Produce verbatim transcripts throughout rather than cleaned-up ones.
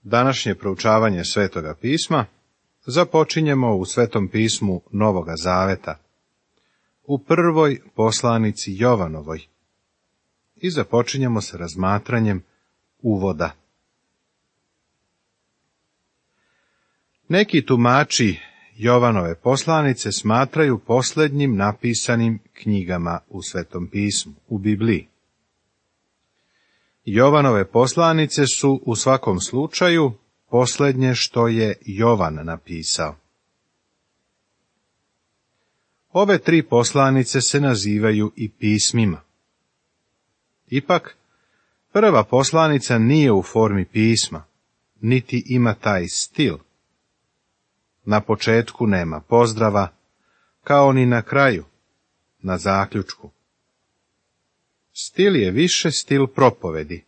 Današnje proučavanje Svetoga pisma započinjemo u Svetom pismu Novoga Zaveta, u prvoj poslanici Jovanovoj, i započinjemo sa razmatranjem uvoda. Neki tumači Jovanove poslanice smatraju posljednjim napisanim knjigama u Svetom pismu, u Bibliji. Jovanove poslanice su u svakom slučaju posljednje što je Jovan napisao. Ove tri poslanice se nazivaju i pismima. Ipak, prva poslanica nije u formi pisma, niti ima taj stil. Na početku nema pozdrava, kao ni na kraju, na zaključku. Stil je više stil propovedi.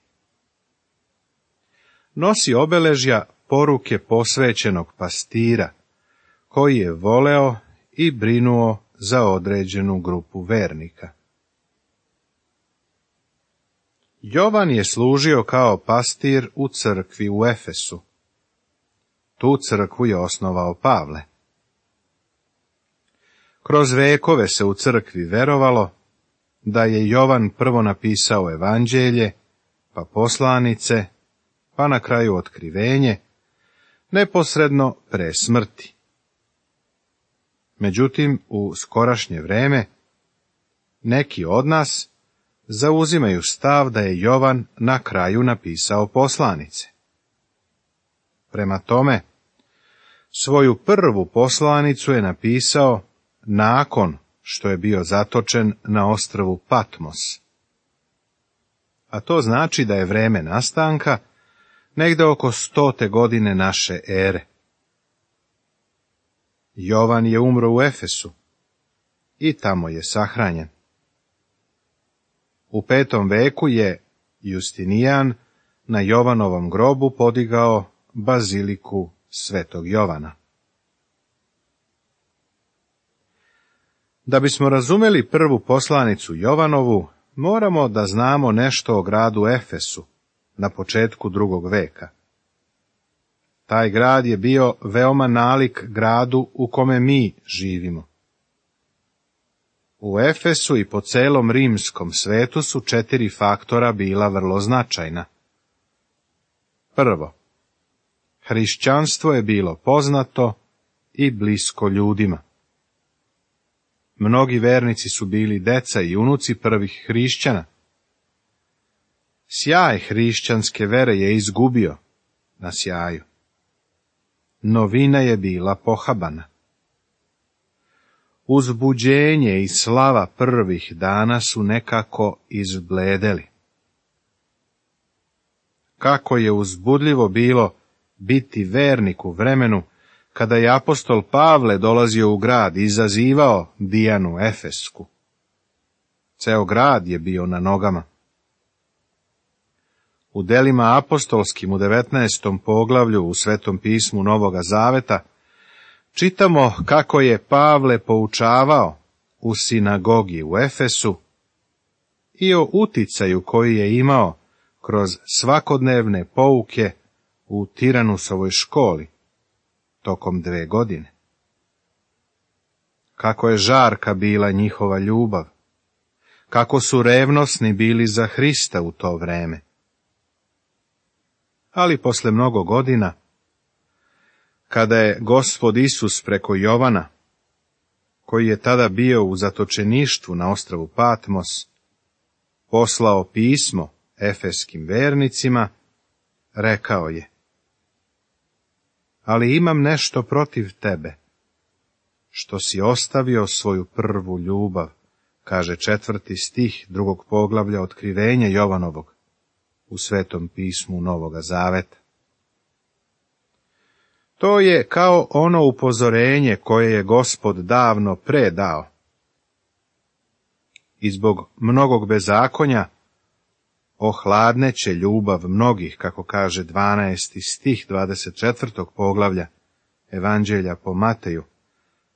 Nosi obeležja poruke posvećenog pastira, koji je voleo i brinuo za određenu grupu vernika. Jovan je služio kao pastir u crkvi u Efesu. Tu crkvu je osnovao Pavle. Kroz vekove se u crkvi verovalo da je Jovan prvo napisao evanđelje, pa poslanice, pa na kraju otkrivenje, neposredno pre smrti. Međutim, u skorašnje vreme, neki od nas zauzimaju stav da je Jovan na kraju napisao poslanice. Prema tome, svoju prvu poslanicu je napisao nakon što je bio zatočen na ostrvu Patmos. A to znači da je vreme nastanka negde oko stote godine naše ere. Jovan je umro u Efesu i tamo je sahranjen. U petom veku je Justinijan na Jovanovom grobu podigao baziliku Svetog Jovana. Da bismo razumeli prvu poslanicu Jovanovu, moramo da znamo nešto o gradu Efesu na početku drugog veka. Taj grad je bio veoma nalik gradu u kome mi živimo. U Efesu i po celom rimskom svetu su četiri faktora bila vrlo značajna. Prvo, hrišćanstvo je bilo poznato i blisko ljudima. Mnogi vernici su bili deca i unuci prvih hrišćana. Sjaj hrišćanske vere je izgubio na sjaju. Novina je bila pohabana. Uzbuđenje i slava prvih dana su nekako izbledeli. Kako je uzbudljivo bilo biti vernik u vremenu kada je apostol Pavle dolazio u grad i izazivao Dijanu Efesku. Ceo grad je bio na nogama. U delima apostolskim u devetnaestom poglavlju u Svetom pismu Novoga Zaveta čitamo kako je Pavle poučavao u sinagogi u Efesu i o uticaju koji je imao kroz svakodnevne pouke u Tiranusovoj školi tokom dve godine. Kako je žarka bila njihova ljubav, kako su revnosni bili za Hrista u to vreme. Ali posle mnogo godina, kada je Gospod Isus preko Jovana, koji je tada bio u zatočeništvu na ostrvu Patmos, poslao pismo efeskim vernicima, rekao je: ali imam nešto protiv tebe, što si ostavio svoju prvu ljubav, kaže četvrti stih drugog poglavlja otkrivenja Jovanovog u Svetom pismu Novoga Zaveta. To je kao ono upozorenje koje je Gospod davno predao. I zbog mnogog bezakonja ohladneće ljubav mnogih, kako kaže dvanaesti stih dvadeset četvrtog poglavlja Evanđelja po Mateju,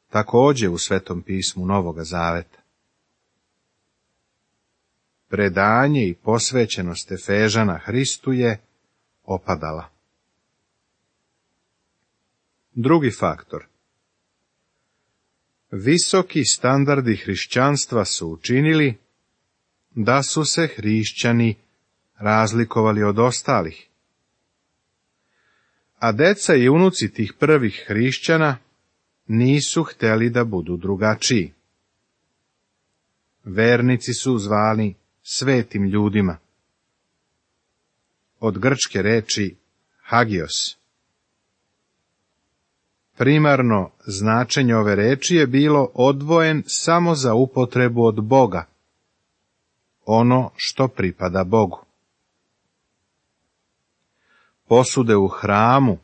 također u Svetom pismu Novoga Zaveta. Predanje i posvećenost Efežana Hristu je opadala. Drugi faktor. Visoki standardi hrišćanstva su učinili da su se hrišćani razlikovali od ostalih. A deca i unuci tih prvih hrišćana nisu htjeli da budu drugačiji. Vernici su zvani svetim ljudima. Od grčke reči hagios. Primarno značenje ove reči je bilo odvojen samo za upotrebu od Boga, ono što pripada Bogu. Posude u hramu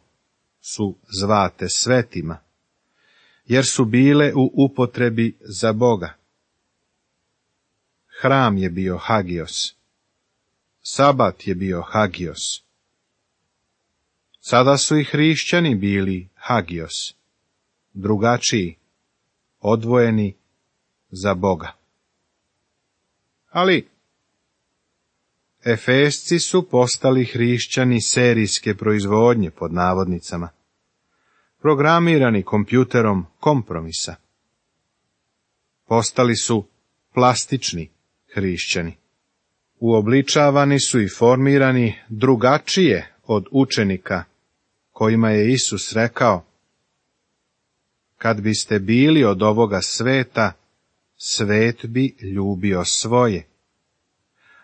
su zvate svetima, jer su bile u upotrebi za Boga. Hram je bio hagios, sabat je bio hagios. Sada su i hrišćani bili hagios, drugačiji, odvojeni za Boga. Ali Efesci su postali hrišćani serijske proizvodnje, pod navodnicama, programirani kompjuterom kompromisa. Postali su plastični hrišćani. Uobličavani su i formirani drugačije od učenika, kojima je Isus rekao: kad biste bili od ovoga sveta, svet bi ljubio svoje.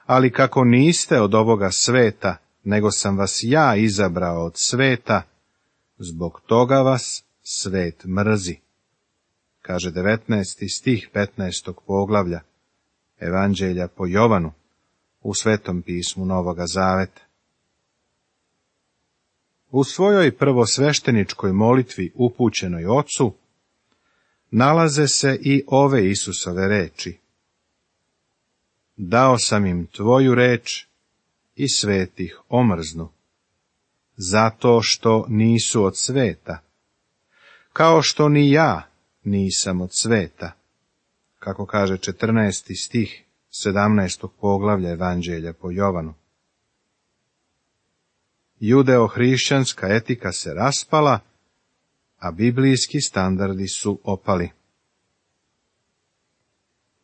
Ali kako niste od ovoga sveta, nego sam vas ja izabrao od sveta, zbog toga vas svet mrzi. Kaže devetnaesti stih petnaestog poglavlja Evanđelja po Jovanu u Svetom pismu Novoga Zaveta. U svojoj prvosvešteničkoj molitvi upućenoj Ocu nalaze se i ove Isusove reči: dao sam im tvoju reč i svet ih omrznu, zato što nisu od sveta, kao što ni ja nisam od sveta, kako kaže četrnaesti stih sedamnaestog poglavlja Evanđelja po Jovanu. Judeo-hrišćanska etika se raspala, a biblijski standardi su opali.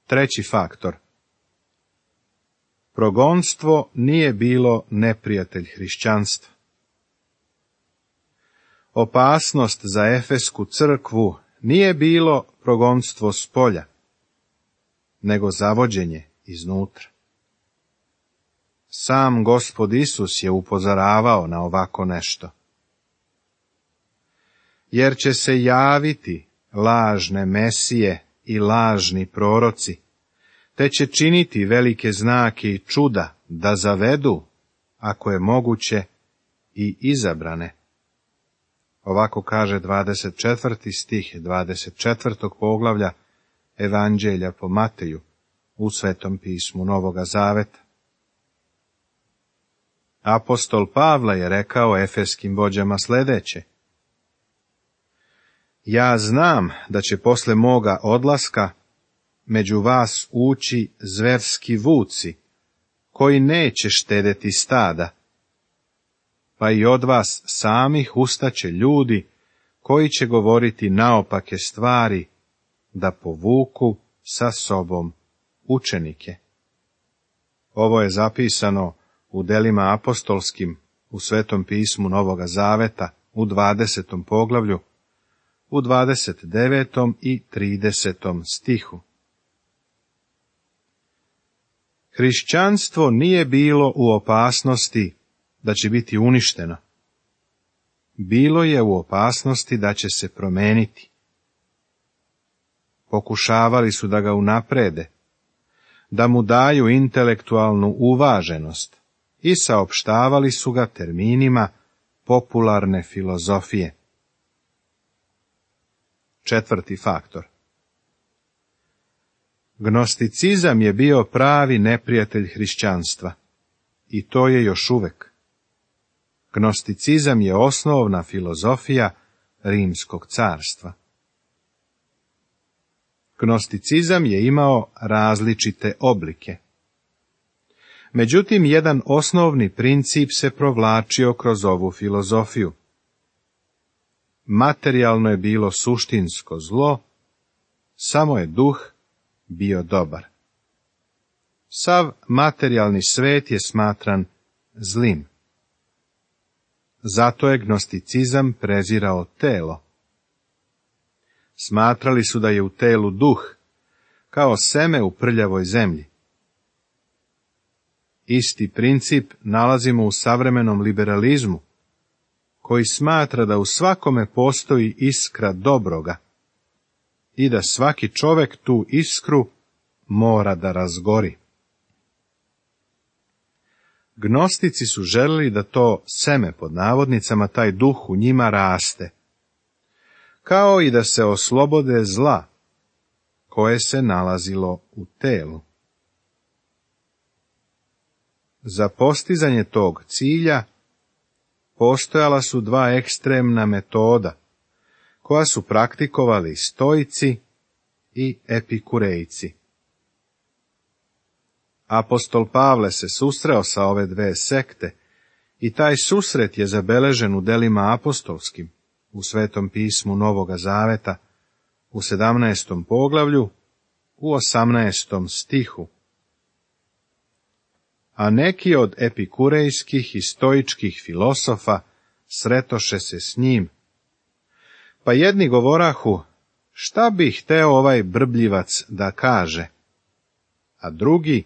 Treći faktor. Progonstvo nije bilo neprijatelj hrišćanstva. Opasnost za Efesku crkvu nije bilo progonstvo s polja, nego zavođenje iznutra. Sam Gospod Isus je upozoravao na ovako nešto. Jer će se javiti lažne mesije i lažni proroci, te će činiti velike znake i čuda da zavedu, ako je moguće, i izabrane. Ovako kaže dvadeset četvrti stih dvadeset četvrtog poglavlja Evanđelja po Mateju u Svetom pismu Novoga Zaveta. Apostol Pavle je rekao efeskim vođama sljedeće: ja znam da će posle moga odlaska među vas ući zverski vuci, koji neće štedeti stada, pa i od vas samih ustaće ljudi koji će govoriti naopake stvari, da povuku sa sobom učenike. Ovo je zapisano u delima apostolskim u Svetom pismu Novoga Zaveta u dvadesetom poglavlju, u dvadeset devetom i tridesetom stihu. Hrišćanstvo nije bilo u opasnosti da će biti uništeno. Bilo je u opasnosti da će se promeniti. Pokušavali su da ga unaprede, da mu daju intelektualnu uvaženost i saopštavali su ga terminima popularne filozofije. Četvrti faktor. Gnosticizam je bio pravi neprijatelj hrišćanstva, i to je još uvek. Gnosticizam je osnovna filozofija Rimskog carstva. Gnosticizam je imao različite oblike. Međutim, jedan osnovni princip se provlačio kroz ovu filozofiju. materijalno je bilo suštinsko zlo, samo je duh bio dobar. Sav materijalni svet je smatran zlim. Zato je gnosticizam prezirao telo. Smatrali su da je u telu duh, kao seme u prljavoj zemlji. Isti princip nalazimo u savremenom liberalizmu, koji smatra da u svakome postoji iskra dobroga i da svaki čovjek tu iskru mora da razgori. Gnostici su želili da to seme, pod navodnicama, taj duh u njima raste, kao i da se oslobode zla koje se nalazilo u telu. Za postizanje tog cilja postojala su dva ekstremna metoda, koja su praktikovali stoici i epikurejci. Apostol Pavle se susreo sa ove dve sekte i taj susret je zabeležen u delima apostolskim, u Svetom pismu Novoga Zaveta, u sedamnaestom poglavlju, u osamnaestom stihu. A neki od epikurejskih i stoičkih filosofa sretoše se s njim, pa jedni govorahu, šta bi hteo ovaj brbljivac da kaže, a drugi,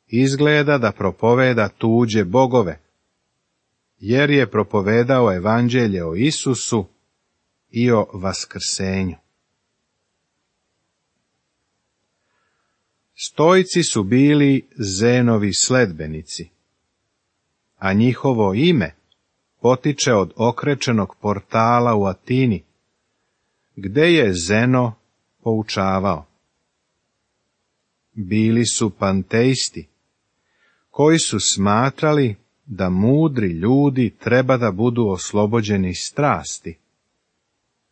izgleda da propoveda tuđe bogove, jer je propovedao evanđelje o Isusu i o vaskrsenju. Stoici su bili Zenovi sledbenici, a njihovo ime potiče od okrečenog portala u Atini, gde je Zeno poučavao. Bili su panteisti, koji su smatrali da mudri ljudi treba da budu oslobođeni strasti,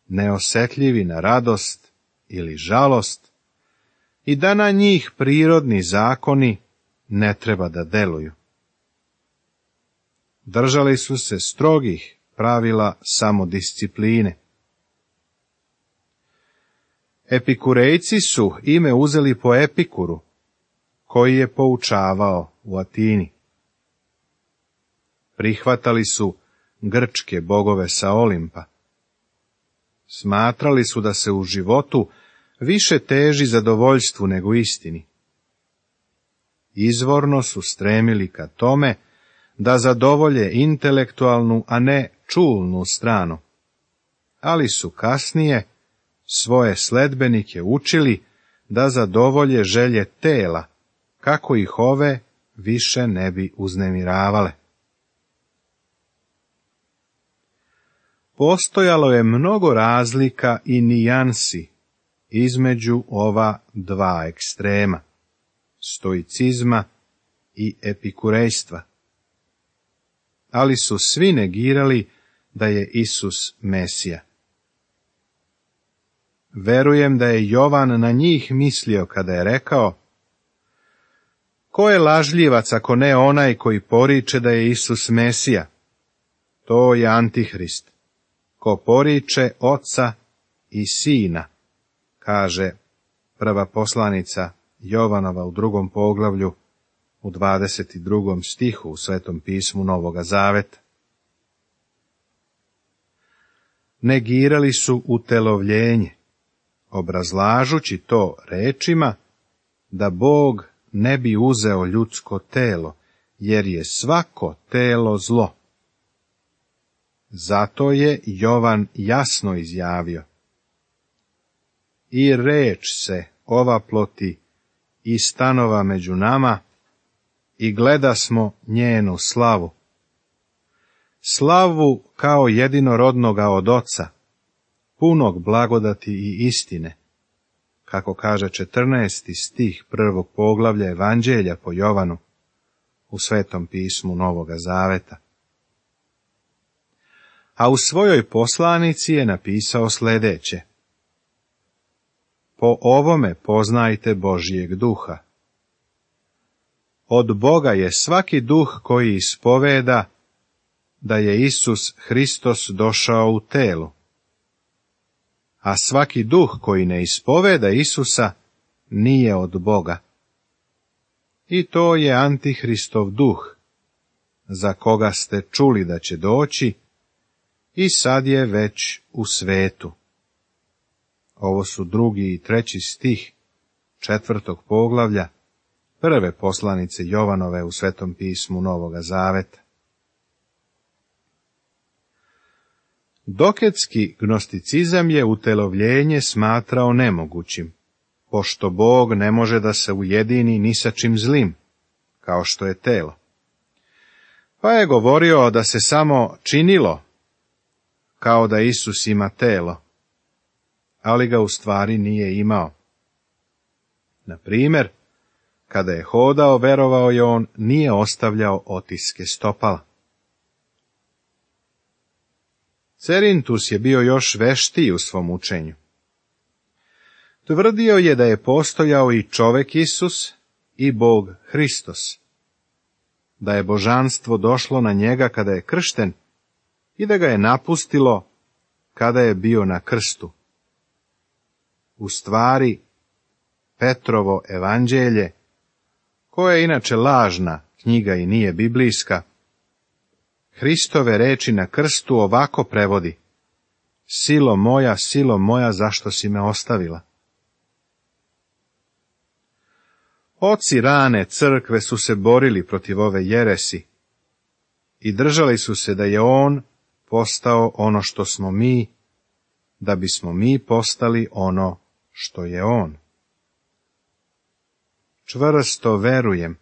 neosetljivi na radost ili žalost, i da na njih prirodni zakoni ne treba da deluju. Držali su se strogih pravila samodiscipline. Epikurejci su ime uzeli po Epikuru, koji je poučavao u Atini. Prihvatali su grčke bogove sa Olimpa. Smatrali su da se u životu više teži zadovoljstvu nego istini. Izvorno su stremili ka tome da zadovolje intelektualnu, a ne čulnu stranu, ali su kasnije svoje sledbenike učili da zadovolje želje tela, kako ih ove više ne bi uznemiravale. Postojalo je mnogo razlika i nijansi između ova dva ekstrema, stoicizma i epikurejstva, ali su svi negirali da je Isus Mesija. Verujem da je Jovan na njih mislio kada je rekao, ko je lažljivac ako ne onaj koji poriče da je Isus Mesija? To je Antihrist, ko poriče Oca i Sina, kaže prva poslanica Jovanova u drugom poglavlju, u dvadeset drugom stihu u Svetom pismu Novoga Zaveta. Negirali su utelovljenje, obrazlažući to rečima da Bog ne bi uzeo ljudsko telo, jer je svako telo zlo. Zato je Jovan jasno izjavio, i reč se ova ploti i stanova među nama, i gledasmo njenu slavu. Slavu kao jedinorodnoga od Oca, punog blagodati i istine, kako kaže četrnaesti stih prvog poglavlja Evanđelja po Jovanu u Svetom pismu Novoga Zaveta. A u svojoj poslanici je napisao sljedeće: po ovome poznajte Božjeg duha. Od Boga je svaki duh koji ispoveda da je Isus Hristos došao u telu, a svaki duh koji ne ispoveda Isusa nije od Boga. I to je Antihristov duh, za koga ste čuli da će doći i sad je već u svetu. Ovo su drugi i treći stih četvrtog poglavlja prve poslanice Jovanove u Svetom pismu Novoga Zaveta. Doketski gnosticizam je utelovljenje smatrao nemogućim, pošto Bog ne može da se ujedini ni sa čim zlim, kao što je telo. Pa je govorio da se samo činilo kao da Isus ima telo, ali ga u stvari nije imao. Na primjer, kada je hodao, verovao je on, nije ostavljao otiske stopala. Cerintus je bio još veštiji u svom učenju. Tvrdio je da je postojao i čovek Isus i Bog Hristos, da je božanstvo došlo na njega kada je kršten i da ga je napustilo kada je bio na krstu. U stvari, Petrovo evanđelje, koje je inače lažna knjiga i nije biblijska, Hristove reči na krstu ovako prevodi: Silo moja, silo moja, zašto si me ostavila? Oci rane crkve su se borili protiv ove jeresi i držali su se da je on postao ono što smo mi, da bismo mi postali ono što je on. Čvrsto verujem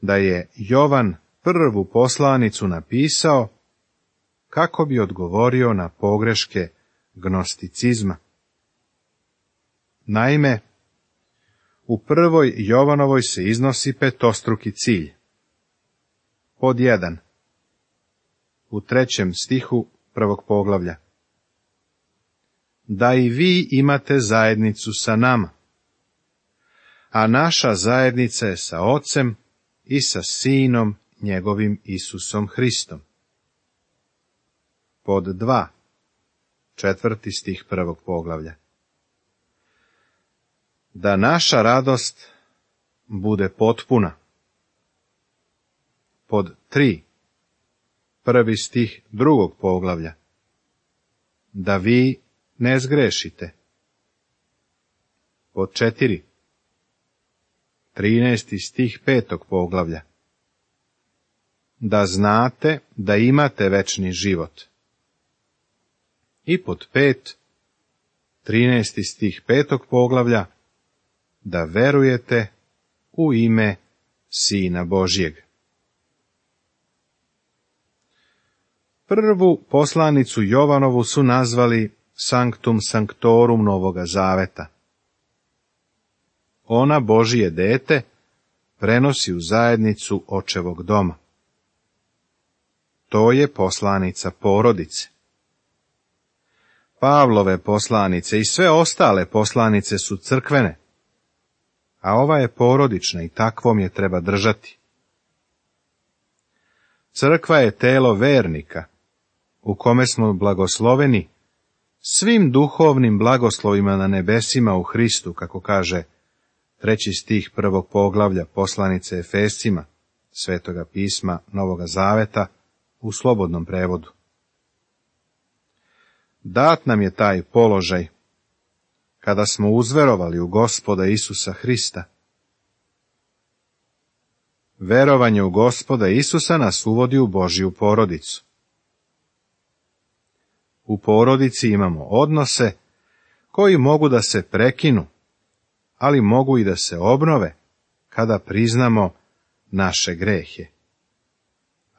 da je Jovan prvu poslanicu napisao kako bi odgovorio na pogreške gnosticizma. Naime, u prvoj Jovanovoj se iznosi petostruki cilj. Pod jedan. U trećem stihu prvog poglavlja. Da i vi imate zajednicu sa nama, a naša zajednica je sa Ocem i sa Sinom njegovim Isusom Hristom. Pod dva. Četvrti stih prvog poglavlja. Da naša radost bude potpuna. Pod tri. Prvi stih drugog poglavlja. Da vi ne zgrešite. Pod četiri. Trinaesti stih petog poglavlja. Da znate da imate večni život. I pod pet. Trinaesti stih petog poglavlja. Da verujete u ime Sina Božjeg. Prvu poslanicu Jovanovu su nazvali Sanctum Sanctorum Novoga Zaveta. Ona Božije dete prenosi u zajednicu očevog doma. To je poslanica porodice. Pavlove poslanice i sve ostale poslanice su crkvene, a ova je porodična i takvom je treba držati. Crkva je telo vernika, u kome smo blagosloveni svim duhovnim blagoslovima na nebesima u Hristu, kako kaže treći stih prvog poglavlja poslanice Efescima, Svetoga pisma Novoga Zaveta, u slobodnom prevodu. Dat nam je taj položaj kada smo uzverovali u Gospoda Isusa Hrista. Verovanje u Gospoda Isusa nas uvodi u Božju porodicu. U porodici imamo odnose koji mogu da se prekinu, ali mogu i da se obnove kada priznamo naše grehe.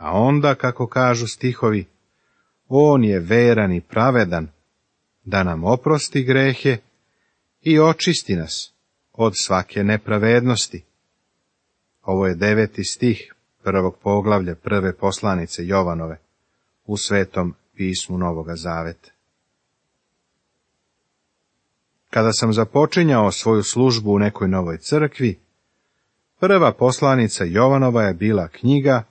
A onda, kako kažu stihovi, on je veran i pravedan da nam oprosti grehe i očisti nas od svake nepravednosti. Ovo je deveti stih prvog poglavlja prve poslanice Jovanove u Svetom pismu Novoga Zaveta. Kada sam započinjao svoju službu u nekoj novoj crkvi, prva poslanica Jovanova je bila knjiga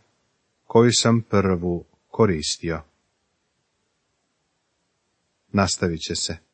koju sam prvu koristio. Nastavit će se.